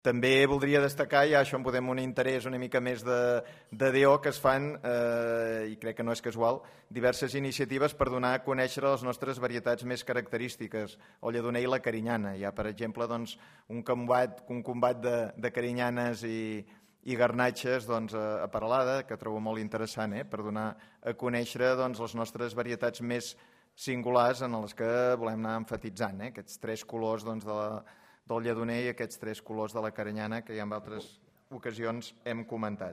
També voldria destacar, ja això en podem un interès una mica més de DO, que es fan, i crec que no és casual, diverses iniciatives per donar a conèixer les nostres varietats més característiques, el lledoner i la carinyana. Hi ha, per exemple, un combat de carinyanes i garnatxes a Peralada, que trobo molt interessant, per donar a conèixer les nostres varietats més singulars en les que volem anar emfatitzant, aquests tres colors del lledoner i aquests tres colors de la carinyana que ja en altres ocasions hem comentat.